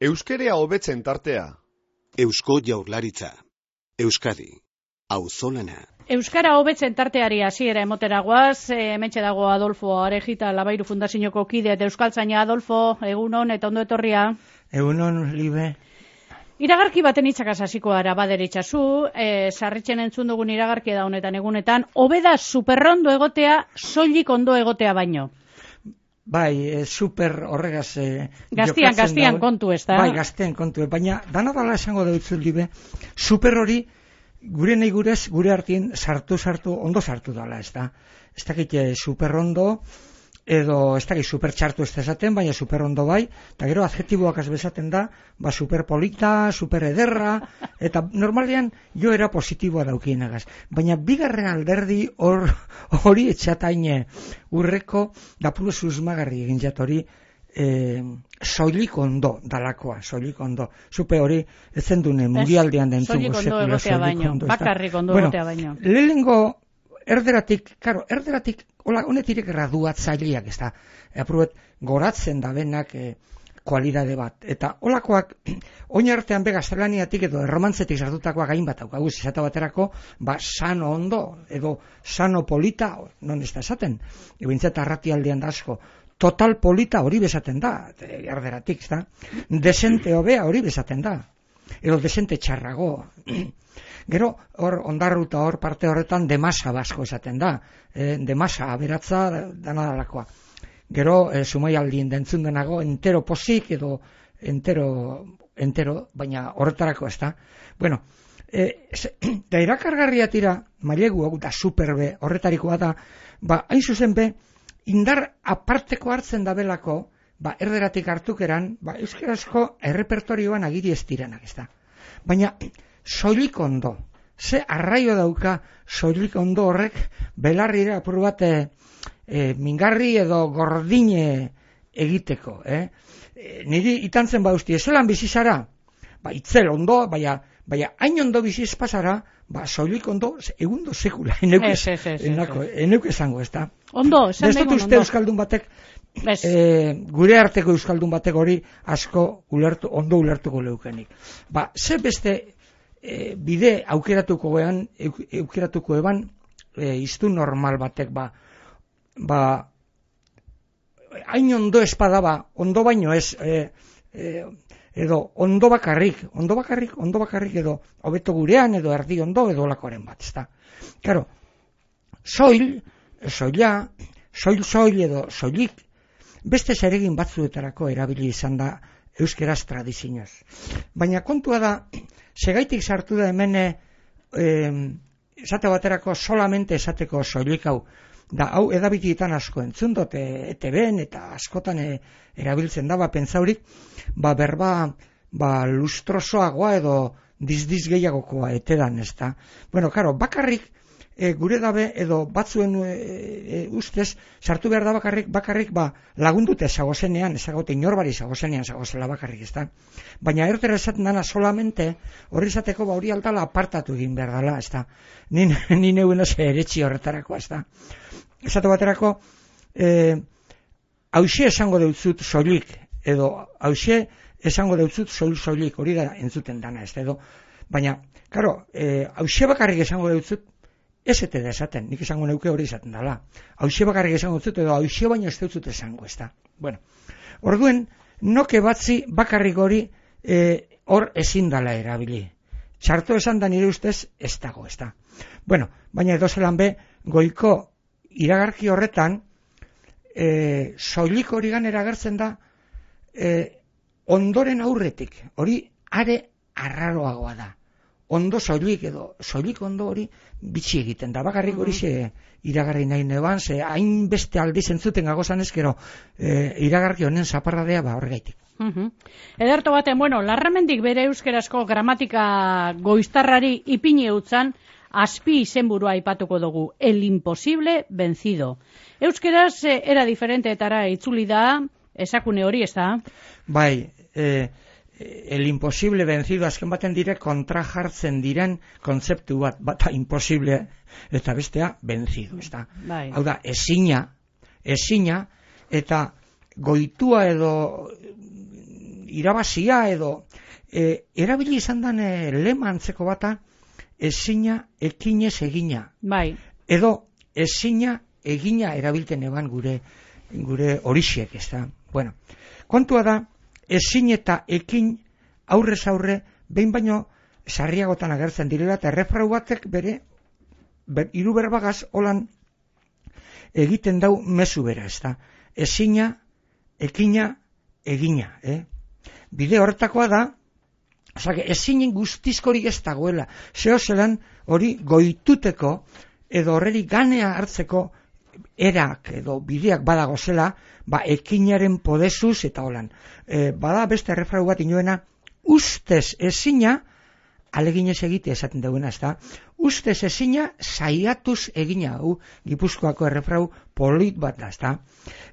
Euskerea hobetzen tartea. Eusko Jaurlaritza. Euskadi. Auzolana. Euskara hobetzen tarteari hasiera emotera goaz, hementxe dago Adolfo Arejita, Labairu Fundazioko kide eta euskaltzaina. Adolfo, egunon eta ondo etorria. Egunon, Libe. Iragarki baten hitzakaz hasiko gara baderitzazu, sarritzen entzun dugun iragarki da honetan egunetan, hobeda superrondo egotea, soilik ondo egotea baino. Bai, super horregaz... Gaztian kontu ez da? Bai, gaztian kontu, baina dana dala esango dut Libe, super hori gure nahi gurez, gure artien sartu, ondo sartu dala, ez da? Ez dakit super ondo, edo ez dakit super txartu ez da esaten, baina super ondo bai, eta gero adjetiboak azbezaten da, ba super polita, super ederra, eta normalean jo era positiboa daukienagaz. Baina bigarren alderdi hori etxataine urreko, da puro susmagarri egin jatori, soilik ondo dalakoa, soilik ondo. Zupe hori, ezen dune, mundialdean dentzungo sekula, soilik ondo. Bakarrik ondo egotea baino. Lehenengo erderatik, hola, honetirek graduatzaileak, ez da, aprobet, goratzen da benak kualidade bat. Eta holakoak, oin artean be gaztelaniatik edo erromantzetik sartutakoak hain bat aukaguz, esate baterako, ba, sano ondo, edo sano polita, non ez da esaten, ebintzat arratialdean da asko, total polita hori bezaten da, erderatik, ez da, desente hobea hori bezaten da, edo desente txarrago. Gero, hor, ondarruta hor parte horretan demasa basko esaten da, demasa aberatza dana dalakoa. Gero, sumaialdien dentzun denago, entero posik edo entero, baina horretarako ez da. Bueno, da irakargarria tira, mailegu hau da superbe horretarikoa da, ba, hain zuzen be, indar aparteko hartzen da belako, ba, erderatik hartukeran, ba, euskarazko errepertorioan agiri ez direnak ez da. Baina, soilik ondo, ze arraio dauka soilik ondo horrek belarrira apur bat mingarri edo gordine egiteko. Niri itantzen bauzti, ezelan bizizara, ba, itzel ondo, baina hain ondo biziz pasara, ba, soilik ondo, egundo sekula, eneuk esango, ez da. Ondo, esan begon, ondo. Euskaldun batek, gure arteko euskaldun batek hori asko ondo ulertuko leukenik. Ba, ze beste bide aukeratuko eban iztu normal batek, ba, hain ondo espada ba, ondo baino ez, edo ondo bakarrik edo hobeto gurean edo erdi ondo edo olakoaren bat, ez da. Claro, soil edo soilik, beste zeregin batzuetarako erabili izan da euskeraz tradizioz. Baina kontua da, segaitik sartu da hemen esate baterako solamente esateko soilik hau, da hau edabitietan asko entzun dut, ETB-en eta askotan erabiltzen da, ba, pentsaurik, ba, berba, ba, lustrosoagoa edo dizdiz gehiagokoa etedan, ez da. Bueno, karo, bakarrik, gure dabe edo batzuen ustez, sartu behar da bakarrik ba, lagundute zagozenean, ezagote inorbari zagozenean zagozela bakarrik, ez da. Baina ertera esaten dana solamente, hori izateko ba hori altala apartatu egin behar dela, ez da. Ni neuen oso eretxi horretarako, ez da. Esatu baterako, hauxe esango deutzut soilik, edo hauxe esango deutzut soilik, hori da entzuten dana, ez da, edo. Baina, karo, hauxe bakarrik esango deutzut, ez ete da esaten, nik esango neuke hori esaten dela. Hauxe bakarrik esango dut, edo hauxe baino ez dut esango, ez da. Bueno, orduen, noke batzi bakarrik hori hor ezin dala erabili. Txarto esan da nire ustez ez dago, ez da. Bueno, baina edo zelan be, goiko iragarki horretan, soilik hori ganera agertzen da, ondoren aurretik, hori are arraroagoa da. Ondo soilik edo soilik ondo hori bitxi egiten da. Bakarrik hori iragarri nahi neban, ze hain beste aldiz entzuten gagozan ezkero iragarki honen zaparradea ba horregaitik. Ederto baten, bueno, Larramendik bere euskerazko gramatika goiztarrari ipini eutzan, azpi izenburua aipatuko dugu, el imposible vencido. Euskeraz era diferenteetara itzuli da, esakune hori, ez da? Bai, el imposible vencido azken baten dire kontra jartzen diren kontzeptu bat, bata imposible eta bestea vencido, ezta? Bai. Hau da, ezina eta goitua edo irabazia edo erabili izan den lema antzeko bata, ezina ekinez egina. Bai. Edo ezina egina erabilten eban gure horixiek, ezta? Bueno, kontua da, ezin eta ekin aurrez aurre, behin baino sarriagotan agertzen direla, eta errefrau batek hiru berbagaz holan egiten dau mezu bera, ezta? Ezina, ekina, egina, Bide horretakoa da, ezinen guztizkorik ez dagoela, zelan hori goituteko, edo horreri ganea hartzeko erak edo bideak badago zela, ekinaren podezuz eta holan. Bada beste errefrau bat inoena, ustez ezina, aleginez egite esaten duena, ezta? Ustez ezina, saiatuz egina, Gipuzkoako errefrau polit bat da, ezta?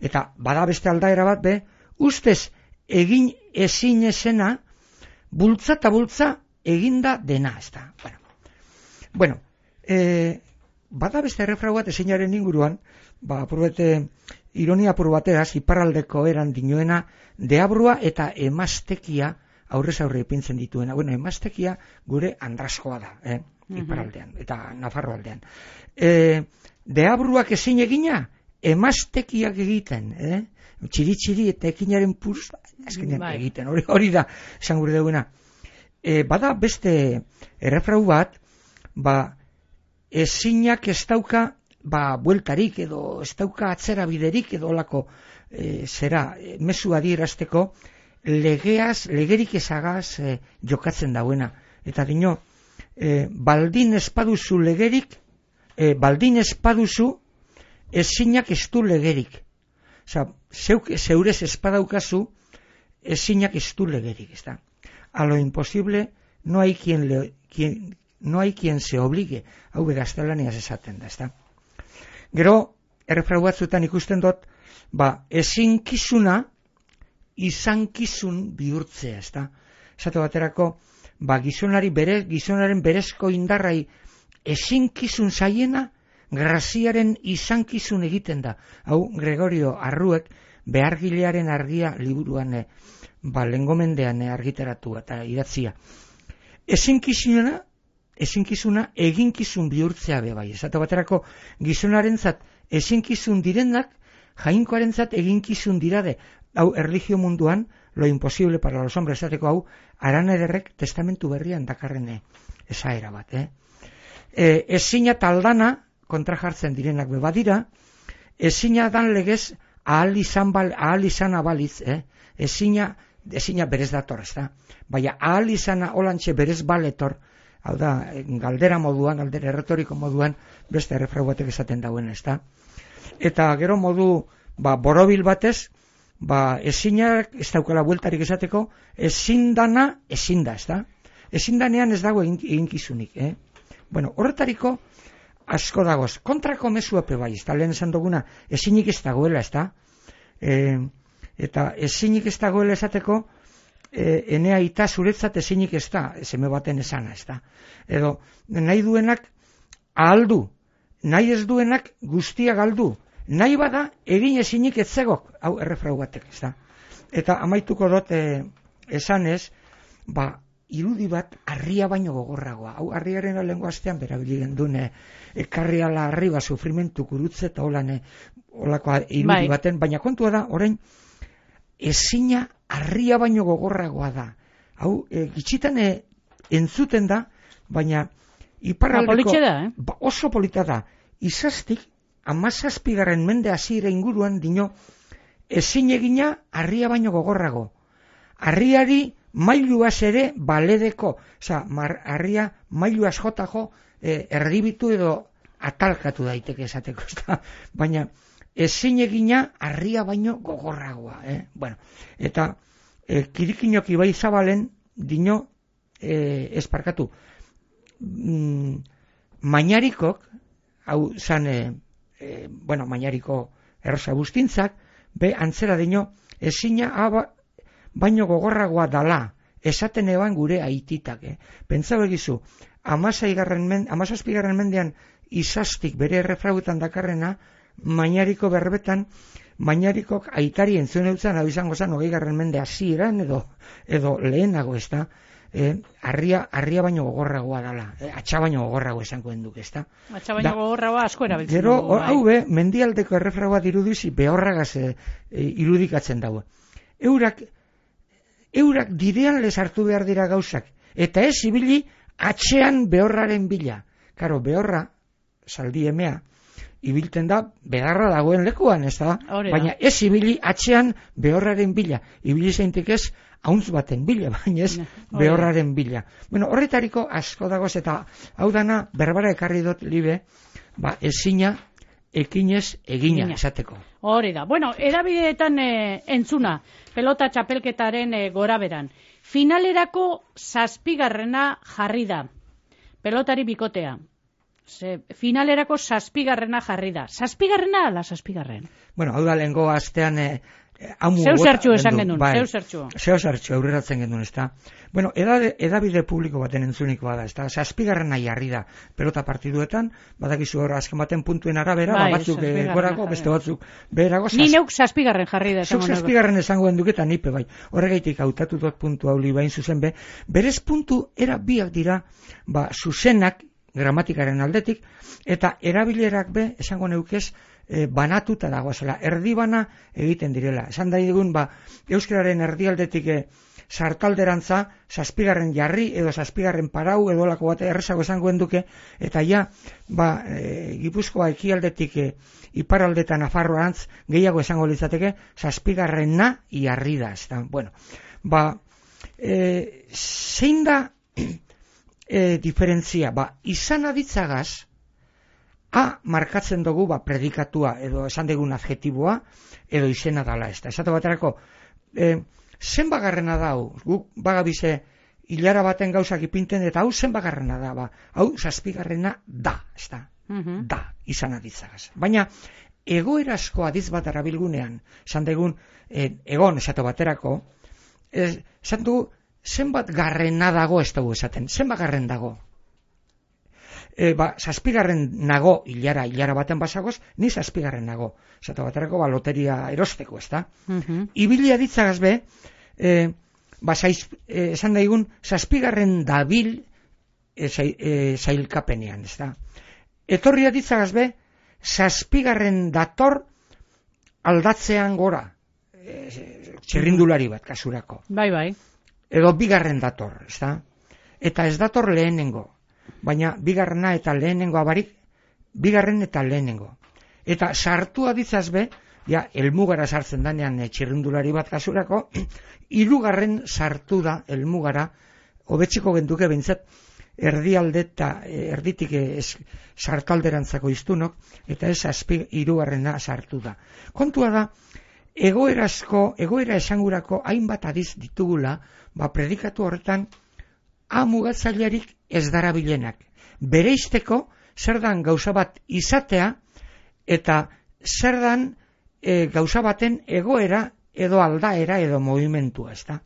Eta bada beste aldaera bat, ustez egin ezin ezena, bultza eta bultza eginda dena, ezta? Bueno, bada beste errefrau bat ezinaren inguruan, apurbete ironia apur bateraz, iparraldeko eran dinoena, deabrua eta emaztekia aurrez aurre ipintzen dituena. Bueno, emaztekia gure andraskoa da, iparraldean, eta Nafarroaldean. Deabruak ezin egina, emaztekiak egiten, txiri-txiri eta ekinaren puruz, azkenean egiten, hori da, esan gure duena. Bada beste errefrau bat, ezinak ez dauka, bueltarik edo ez dauka atzera biderik edo olako mezu adierazteko legerik ezagaz jokatzen dauena. Eta dino, baldin espaduzu legerik, baldin espaduzu ezinak ez du legerik. Zeurez espadaukazu ezinak ez du legerik. A lo imposible no hay quien se obligue. Hau gaztelaniaz esaten da, ezta? Gero, errefrau batzuetan ikusten dut, ezinkizuna izankizun bihurtzea, ezta? Esate baterako, gizonaren berezko indarrai ezinkizun zaiena, graziaren izankizun egiten da. Hau, Gregorio Arruek, behargilearen argia liburuan, lengomendean argitaratu eta idatzia. Ezinkizuna eginkizun bihurtzea bai. Esate baterako gizonarentzat ezinkizun direnak jainkoarentzat eginkizun dirade. Hau erlijio munduan lo imposible para los hombres esateko hau Aran Ederrek testamentu berrian dakarren esaera bat. Ezina taldana kontra jartzen direnak badira, ezina dan legez ahal izan abaliz, ezina berez dator, ezta? Baina ahal izana olantxe berez baletor, hau da, galdera erretoriko moduan, beste errefrau batek esaten dauen, ezta? Eta gero modu, borobil batez, ezinak ez daukala bueltarik esateko, ezin dana, ezin da, ezta? Ezin danean ez dago eginkizunik, Bueno, horretariko asko dagoz. Kontrako mezu epe bai, ezta? Lehen esan duguna, ezinik ez dagoela, ezta? Eta ezinik ez dagoela esateko, enea ita zuretzat ezinik ez da, seme baten esana, ez da. Edo, nahi duenak ahaldu, nahi ez duenak guztia galdu, nahi bada egin ezinik ez zegok, hau errefrau batek, ez da. Eta amaituko dut esanez, irudi bat harria baino gogorragoa. Hau harriaren alengo astean berabili gendun ekarri ala harri sufrimentu kurutze eta holako irudi baten, baina kontua da, orain, ezina harria baino gogorragoa da. Hau, gitxitan entzuten da, baina iparraldeko oso polita da. Izaztik, 17. mende hasiera inguruan dino, ezin egina harria baino gogorrago. Harriari mailuaz ere baledeko, harria mailuaz jotajo erdibitu edo atalkatu daiteke esateko, baina ezin egina harria baino gogorragoa. Bueno, eta kirikinoki bai zabalen dino esparkatu. Mainarikok, hau zan, mainariko errosa bustintzak, antzera dino ezina baino gogorragoa dala esaten eban gure aititak. Pentsa begizu, 17. mendean izastik bere errefrauetan dakarrena, Mañariko berbetan, Mañarikok aitari entzun eutzen, hau izango zen 20. mende hasieran edo lehenago, ez da? Arria baino gogorragoa dala, atxa baino gogorrago esango enduk, ez da? Atxa baino gogorragoa asko erabiltzen gero, dugu. hau mendialdeko errefragoa dirudizi behorragaz irudikatzen dago. Eurak direan les hartu behar dira gauzak, eta ez ibili atxean behorraren bila. Karo, behorra, zaldi emea, ibilten da, bedarra dagoen lekuan, ez da? Baina ez ibili atxean behorraren bila. Ibili zeintik ez, hauntz baten bila, baina ez behorraren bila. Bueno, horretariko asko dagoz, eta hau dana, berbara ekarri dut libe, ezina, ekinez, egina, esateko. Hori da. Bueno, edabideetan entzuna, pelota txapelketaren goraberan. Finalerako 7. jarri da. Pelotari bikotea. Finalerako 7. jarri da. 7. ala 7. Bueno, hau da lehengo astean zeu zertxu esan genuen, zeu zertxu aurreratzen genuen, ez da? Bueno, edabide publiko baten entzunik bada, ez da? 7. jarri da pelota partiduetan, badakizu hor azken baten puntuen arabera, batzuk gorako, beste batzuk beherago. Ni neuk 7. jarri da. Zuk 7. esango enduketa nipe bai. Horregaitik hautatu dut puntu hau bain zuzen berez puntu era biak dira, zuzenak, gramatikaren aldetik, eta erabilerak esango neukez, banatuta dagoazela, erdibana egiten direla. Esan da digun, euskararen erdialdetik sartalderantza, 7. jarri, edo 7. parau, edo lako bat errezago esango enduke, eta ja, Gipuzkoa ekialdetik iparaldetan Nafarroarantz gehiago esango litzateke, 7. jarri da. Bueno, zein da diferentzia, izan aditzagaz, A markatzen dugu predikatua edo esan degun adjetiboa edo izena dala, ez da. Esate baterako, zenbagarrena da hau, guk bagabize hilara baten gauzak ipinten, eta hau zenbagarrena da, hau 7. da, ez da, da, izan aditzagaz. Baina, egoerazko adiz bat arabilgunean, esan degun, egon esate baterako, esan dugu, zenbat garrena dago ez dugu esaten, zenbat garren dago. 7. nago hilara baten basagoz, ni 7. nago. Esate baterako loteria erosteko, ez da? Ibilia ditzagaz esan daigun, 7. dabil zailkapenean, ez da? Etorria ditzagaz 7. dator aldatzean gora, txirrindulari bat kasurako. Bai. Edo 2. dator, ez da? Eta ez dator lehenengo. Baina 2. eta lehenengo abarik, 2. eta lehenengo. Eta sartua ditzaz elmugara sartzen danean txirrindulari bat kasurako, 3. sartu da elmugara, hobetziko genduke bintzat, erdialde eta erditik sartalderantzako iztunok, eta ez 3. sartu da. Kontua da, egoera esangurako hainbat adiz ditugula, predikatu horretan, mugatzailerik ez darabilenak. Bereizteko, zer dan gauza bat izatea, eta zer dan gauza baten egoera, edo aldaera, edo movimentua, ez da.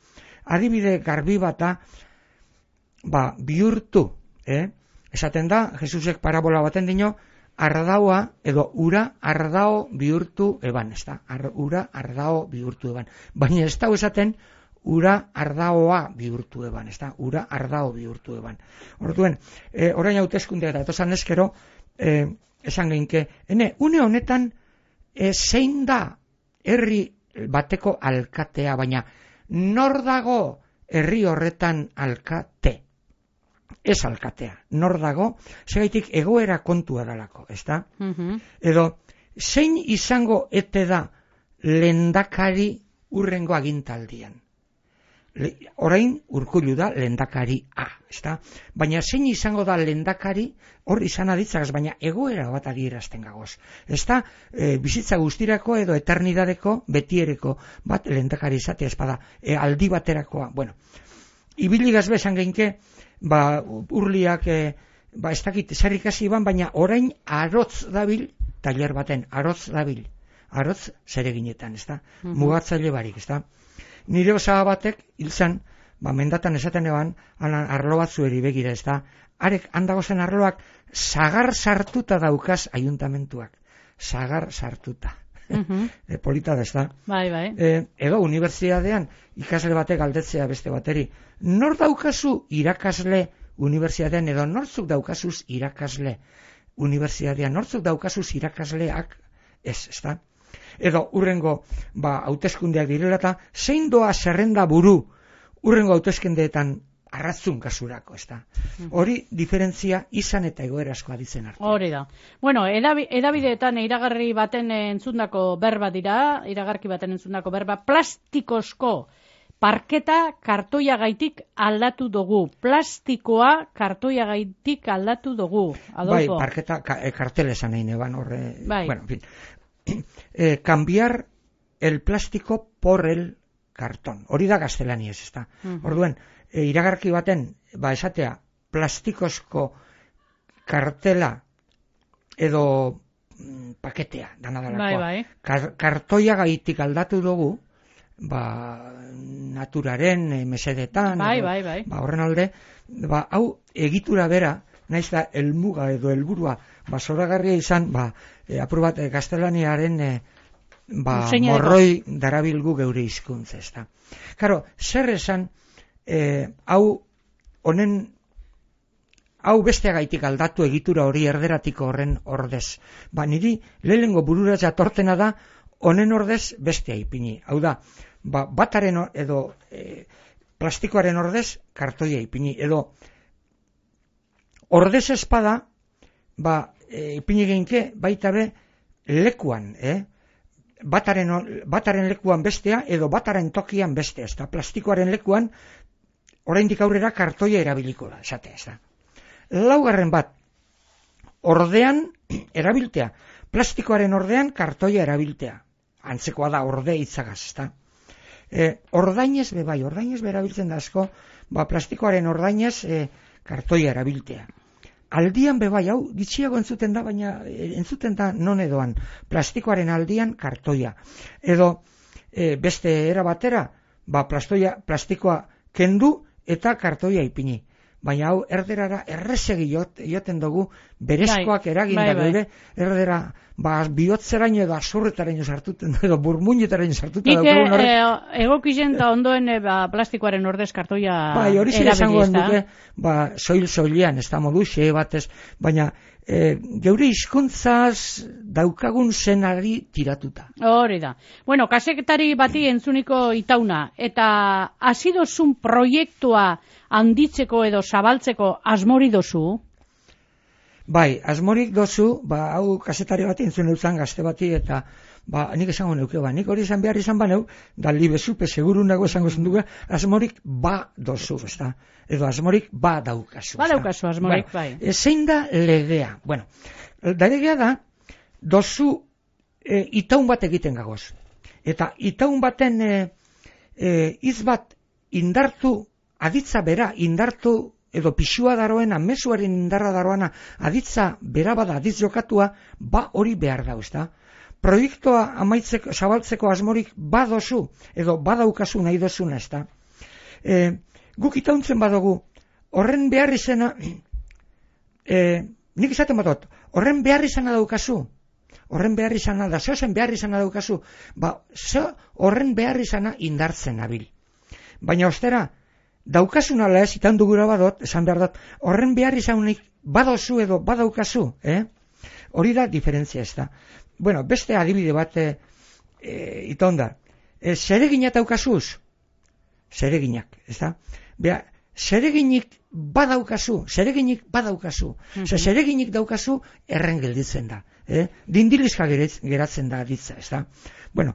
Adibide garbi bata, bihurtu, esaten da, Jesusek parabola baten dino, ardaua, edo ura ardao bihurtu eban, ez da. Ura ardao bihurtu eban. Baina ez da esaten, ura ardaoa bihurtu eban, ez da, ura ardao bihurtu eban. Orduen, orain hauteskundea da, etozan eskero, esan geinke, une honetan, zein da herri bateko alkatea, baina nor dago herri horretan alkate? Ez alkatea, nor dago, segaitik egoera kontua dalako, ez da? Edo, zein izango ete da lehendakari urrengo agintaldian? Orain Urkullu da lehendakari A, ezta? Baina zein izango da lehendakari hor izan aditzagaz, baina egoera bat adierazten gagoz. Ezta bizitza guztirako edo eternidadeko betiereko bat lehendakari izatea espada, aldi baterakoa. Bueno, ibiligaz bezan geinke, urliak, ez dakit zer ikasi ban, baina orain arotz dabil, tailer baten, arotz dabil. Arotz zereginetan, ezta? Mugatzaile barik, ezta? Nire osaba batek, hilzan, mendatan esaten eban, arlo batzueri begira, ez da, arek handagozen arloak sagar sartuta daukaz ayuntamentuak. Sagar sartuta. Polita da, ez da. Bai. Edo, unibertsitatean ikasle batek galdetzea beste bateri. Nor daukazu irakasle unibertsitatean, edo nortzuk daukazuz irakasle unibertsitatean, nortzuk daukazuz irakasleak, ez da. Edo, urrengo, hauteskundeak direla eta, zein doa zerrenda buru urrengo hauteskundeetan arratzun kasurako, ez da. Hori diferentzia izan eta egoera asko aditzen arte. Hori da. Bueno, edabideetan iragarki baten entzundako berba dira, plastikozko parketa kartoiagaitik aldatu dugu. Plastikoa kartoiagaitik aldatu dugu. Adolfo. Bai, parketa kartelesan egin eban horre. Bai. Bueno, en fin. Cambiar el plástico por el cartón. Hori da gaztelaniaz, ez da. Orduen, iragarki baten, esatea, plastikozko kartela edo paketea, dana dalakoa. Bai. Kartoiagaitik aldatu dugu, naturaren mesedetan, bai. Horren alde, hau egitura bera, naiz da helmuga edo helburua zoragarria izan, apur bat gaztelaniaren morroi darabilgu geure hizkuntza, ez da. Karo, zer esan, hau besteagaitik aldatu egitura hori erderatiko horren ordez. Niri lehenengo burura jatortena da honen ordez bestea ipini. Hau da, bataren edo plastikoaren ordez kartoia ipini. Edo ordez espada, ipini geinke baita be lekuan, bataren lekuan bestea edo bataren tokian bestea, ez da. Plastikoaren lekuan oraindik aurrera kartoia erabiliko da, esatea, ez da. Laugarren bat, ordean erabiltea, plastikoaren ordean kartoia erabiltea. Antzekoa da orde hitzagaz, ez da. Ordainez erabiltzen da asko, plastikoaren ordainez kartoia erabiltea. Aldian bebai, hau gitxiago entzuten da, baina entzuten da non edoan, plastikoaren aldian kartoia. Edo beste era batera, plastikoa kendu eta kartoia ipini. Baina hau erderara errezegi joten dugu berezkoak eraginda gure, erdera bihotzeraino edo azurretaraino sartuten edo burmuinetaraino sartuten dugu. Nik egokizen da ondoen plastikoaren ordez kartoia hori zire esango duke, soil-soilean, ez da modu, xe batez, baina geure hizkuntzaz daukagun zenari tiratuta. Hori da. Bueno, kasetari bati entzuniko itauna, eta azidozun proiektua handitzeko edo zabaltzeko asmori dozu? Bai, asmorik dozu, hau kasetari bati entzun euzan gazte bati, eta nik esango neuke, nik hori izan behar izan baneu, da libezupe seguru nago esango zenduga, asmorik dozu, ez da? Edo asmorik daukazu. Daukazu asmorik, bai. Zein da legea? Bueno, da legea da, dozu itaun bat egiten gagoz. Eta itaun baten hitz bat indartu, aditza bera indartu, edo pixua daroena, mezuaren indarra daroena, aditza bera bada, aditz jokatua, hori behar da, ez da? Proiektua amaitzeko, zabaltzeko asmorik badozu, edo badaukazu nahi dozuna, ez da? Guk itauntzen badugu, horren behar izena, nik izaten badot, horren behar izena daukazu, horren behar izena da, zehozen behar izena daukazu, horren behar izena indartzen nabil. Baina ostera, daukasun ala ez, itan dugura badot, esan behar dut, horren behar izanik badozu edo badaukazu, hori da diferentzia ez da. Bueno, beste adibide bat iton da. Zeregina daukazuz? Zereginak, ez da? Zereginik badaukazu. Zereginik daukazu erren gelditzen da. Dindilizka geratzen da aditza, ez da? Bueno,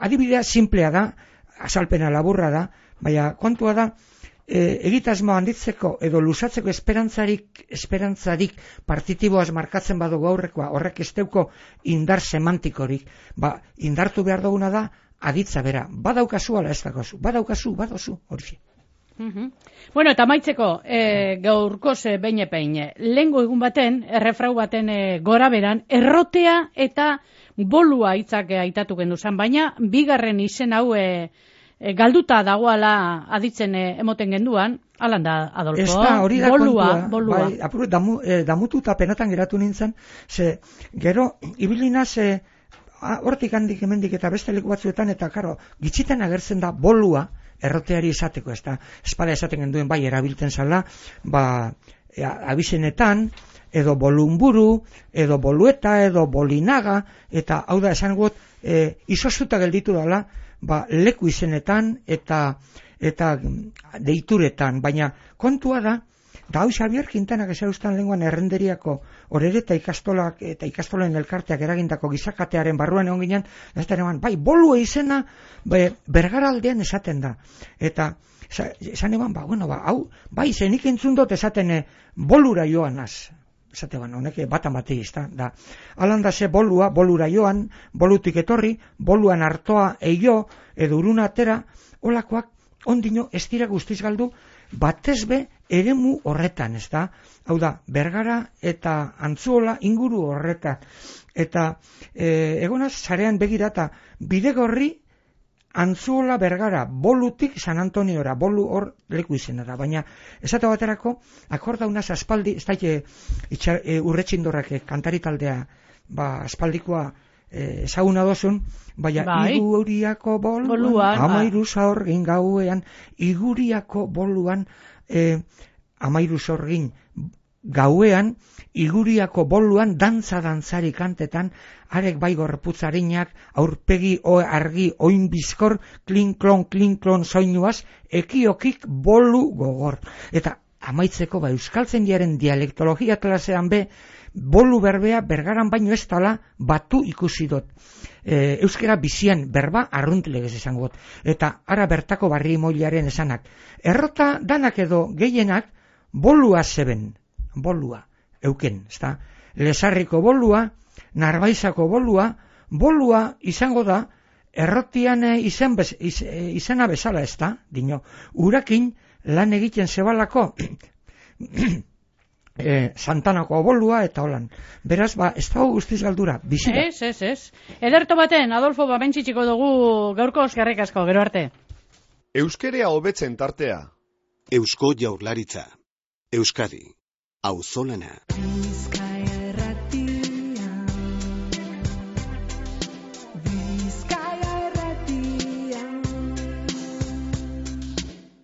adibidea simplea da, azalpena laburra da, baina kontua da, egitasmo handitzeko edo lusatzeko esperantzarik partitiboaz markatzen badugu aurrekoa, horrek esteuko indar semantikorik, indartu behar duguna da, aditza bera, badaukazu ala ez dagozu, badozu, hori. Bueno, eta maitzeko, gaurkoz behin, lehengo egun baten, errefrau baten gora beran, errotea eta bolua hitzak aitatu genduzan, baina bigarren izen hau galduta dagoala aditzen emoten genduan, alan da, Adolfo. Ez da, hori da bolua. Bai, apur, damututa penatan geratu nintzen, ze, gero, ibilinaz, hortik handik hemendik eta beste leku batzuetan, eta karo, gitzitan agertzen da bolua, erroteari esateko, ez da, espala esaten genduen bai erabiltzen zala, abizenetan, edo bolunburu, edo bolueta, edo bolinaga, eta hau da esan gut, izostuta gelditu dela, leku izenetan eta deituretan, baina kontua da hau Xabier Quintanak esaustan lenguan errenderiako orereta ikastolak eta ikastolen elkarteak eragindako gizakatearen barruan egon ginen, bai, bolua izena Bergaraldean esaten da, eta esan eban, hau, bai, zenik entzun dut esaten bolura joanaz, esate honek batan batei da. Alanda ze bolura joan, bolutik etorri, boluan hartoa eio, edo uruna atera, olakoak ondino ez dira guztiz galdu, batezbe eremu horretan, ez da? Hau da, Bergara eta Antzuola inguru horretan. Eta egonaz, zarean begirata, Bidegorri, Antzuola Bergara, bolutik San Antoniora, bolu hor leku izena da, baina esate baterako, akordaunaz aspaldi, ez da urretxindorrak kantari taldea, aspaldikoa ezaguna dozun, baina Iguriako boluan, amairu zaurgin gauean, Iguriako boluan, amairu zaurgin gauean, Iguriako boluan, dantzari kantetan, arek bai gorputzarinak, aurpegi argi oin bizkor, klin-klon soinuaz, ekiokik bolu gogor. Eta amaitzeko euskaltzen diaren dialektologia klasean bolu berbea Bergaran baino ez tala batu ikusi dut. Euskera bizian berba arruntlegez esango dut. Eta ara bertako barri moilaren esanak. Errota danak edo gehienak bolua zeben. Bolua euken, ezta? Lesarriko bolua, Narbaizako bolua izango da errotian izena bezala, ezta? Dino, urakin lan egiten zebalako Santanako bolua eta holan. Beraz, ez dago guztiz galdura, bizira. Ez. Ederto baten, Adolfo, bentsitxiko dugu gaurko eskerrik asko, gero arte. Euskerea hobetzen tartea. Eusko Jaurlaritza. Euskadi. Auzolana.